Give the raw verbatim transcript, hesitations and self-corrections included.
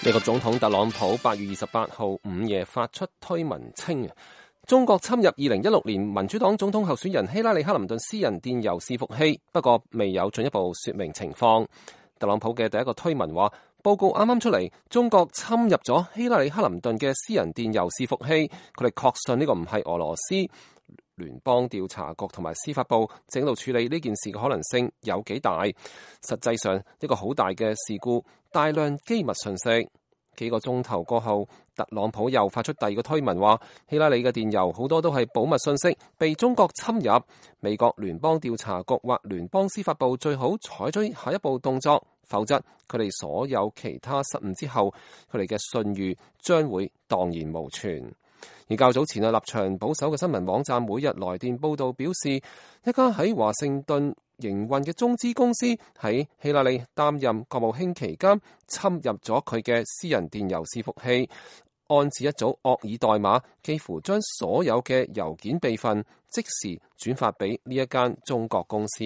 美國總統特朗普八月二十八號午夜發出推文稱，中國侵入二零一六年民主黨總統候選人希拉里克林頓私人電郵伺服器，不過未有進一步說明情況。特朗普嘅第一個推文話，報告啱啱出嚟，中國侵入咗希拉里克林頓嘅私人電郵伺服器，佢哋確信呢個唔係俄羅斯。聯邦調查局同埋司法部正喺度處理呢件事嘅可能性有幾大？實際上一個好大嘅事故，大量機密信息。幾個鐘頭過後，特朗普又發出第二個推文話，希拉里嘅電郵好多都係保密信息，被中國侵入。美國聯邦調查局或聯邦司法部最好採取下一步動作，否則佢哋所有其他失誤之後，佢哋嘅信譽將會蕩然無存。而較早前啊，立場保守嘅新聞網站每日來電報道表示，一家喺華盛頓營運嘅中資公司喺希拉里擔任國務卿期間侵入咗佢嘅私人電郵伺服器，安置一組惡意代碼，幾乎將所有嘅郵件備份即時轉發俾呢一間中國公司。